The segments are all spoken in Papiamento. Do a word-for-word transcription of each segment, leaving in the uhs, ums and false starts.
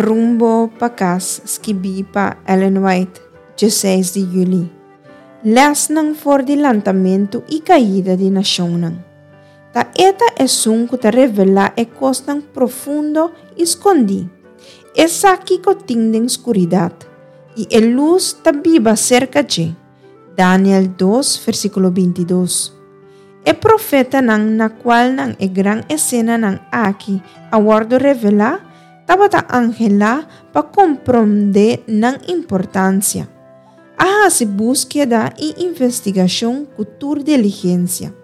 Rumbo pa Kas, skibí pa Ellen White, diesseis di yüli. Lèsnan for di lantamentu i kaida di nashonnan. Ta E ta esun ku ta revelá e kosnan profundo i skondí. E sa kiko tin den skuridat, i e lus ta biba serka dje. Daniel dos, versíkulo binti dos. E profetanan na kualnan e gran esenanan aki a wòrdu revelá, tabata anhelá pa komprondé nan importansia. A hasi búskeda i investigashon ku tur diligensia,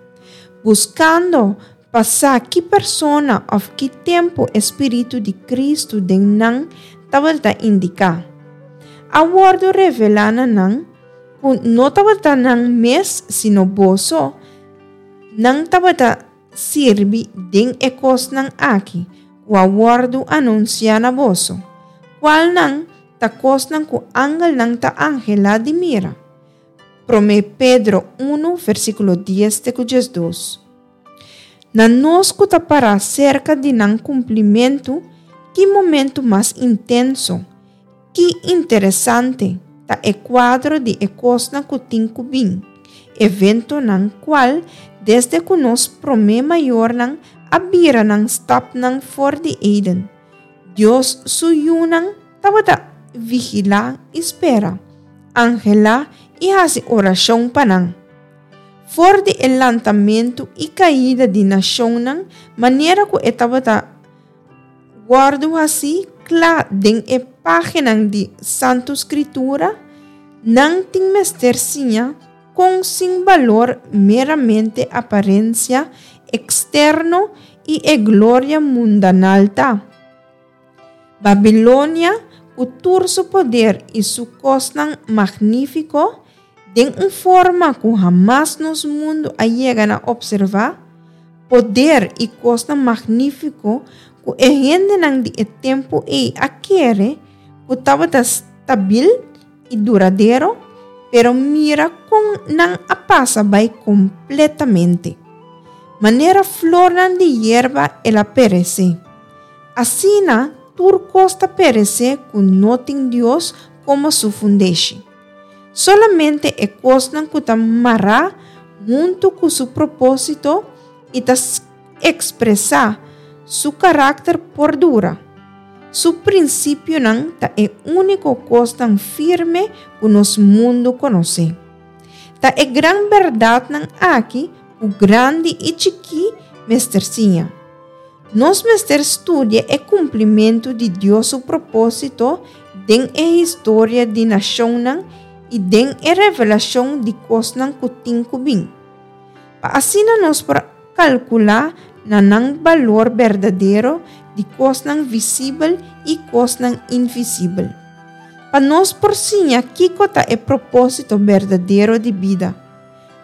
buskando pa sa ki persona òf ki tempu e spiritu di Kristu den nan tabata indiká. A wòrdu revelá na nan ku no tabata nan mes sino boso nan tabata sirbi den e kosnan aki ku a wòrdu anunsiá na boso, kualnan ta kosnan ku angelnan ta anhelá di mira. Promé Pedro unu, versíkulo dies te ku diesdos. Na nos ku ta pará serka di nan kumplimentu, ki momentu mas intenso, ki interesante ta e kuadro di e kosnan ku tin ku bin, eventonan kual desde ku nos promé mayornan a bira nan stapnan for di Eden. Dios su yunan tabata vigilá i spera, anhelá i hasi orashon pa nan. For di e lantamentu i kaida di nashonnan, manera ku e tabata wòrdu hasi kla den e páginanan di Santu Skritura, nan tin mester siña kon sin balor meramente aparensia eksterno i e gloria mundanal ta. Babilonia, ku tur su poder i su kosnan magnífiko, den un forma ku hamas nos mundu a yega na opservá, poder i kosnan magnífiko ku e hendenan di e tempu ei a kere ku tabata stabil i duradero, pero mira kon nan a pasa bai kompletamente. Manera flornan di yerba el a peresé. Asina tur kos ta peresé ku no tin Dios komo su fundeshi. Solamente e kosnan ku ta mará huntu ku su propósito i ta ekspresá su karakter por dura. Su prinsipionan ta e úniko kosnan firme ku nos mundu konosé. Ta e gran bèrdatnan aki ku grandi i chikí mester siña. Nos mester studia e kumplimentu di Dios su propósito den e historia di nashonnan i den e revelashon di kosnan ku tin ku bin. Pa asina nos por kalkulá na nan balor berdadero di kosnan visibel i kosnan invisibel. Pa nos por siña kiko ta e propósito berdadero di bida.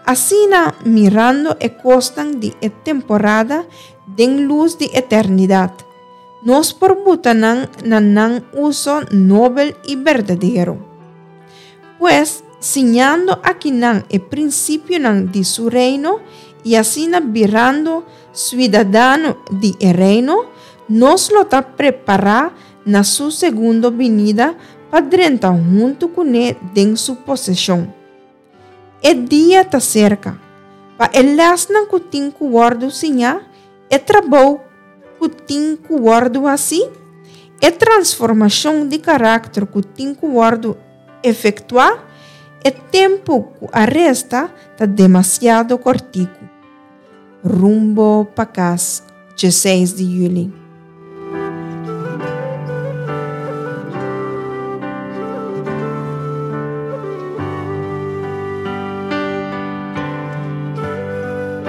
Asina mirando e kosnan di e temporada den lus di eternidat, nos por buta nan na nan uso nobel i berdadero. Pues, siñando akinan e prinsipionan di su reino i asina birando siudadano di e reino, nos lo ta prepará na su segundo binida pa drenta huntu kuné den su poseshon. E dia ta serka. Pa e lèsnan ku tin ku wòrdu siñá, e trabou ku tin ku wòrdu hasí, e transformashon di karakter ku tin ku wòrdu efektuá, e tempu ku a resta ta demasiado kòrtiku. Rumbo pa Kas, diesseis di yüli.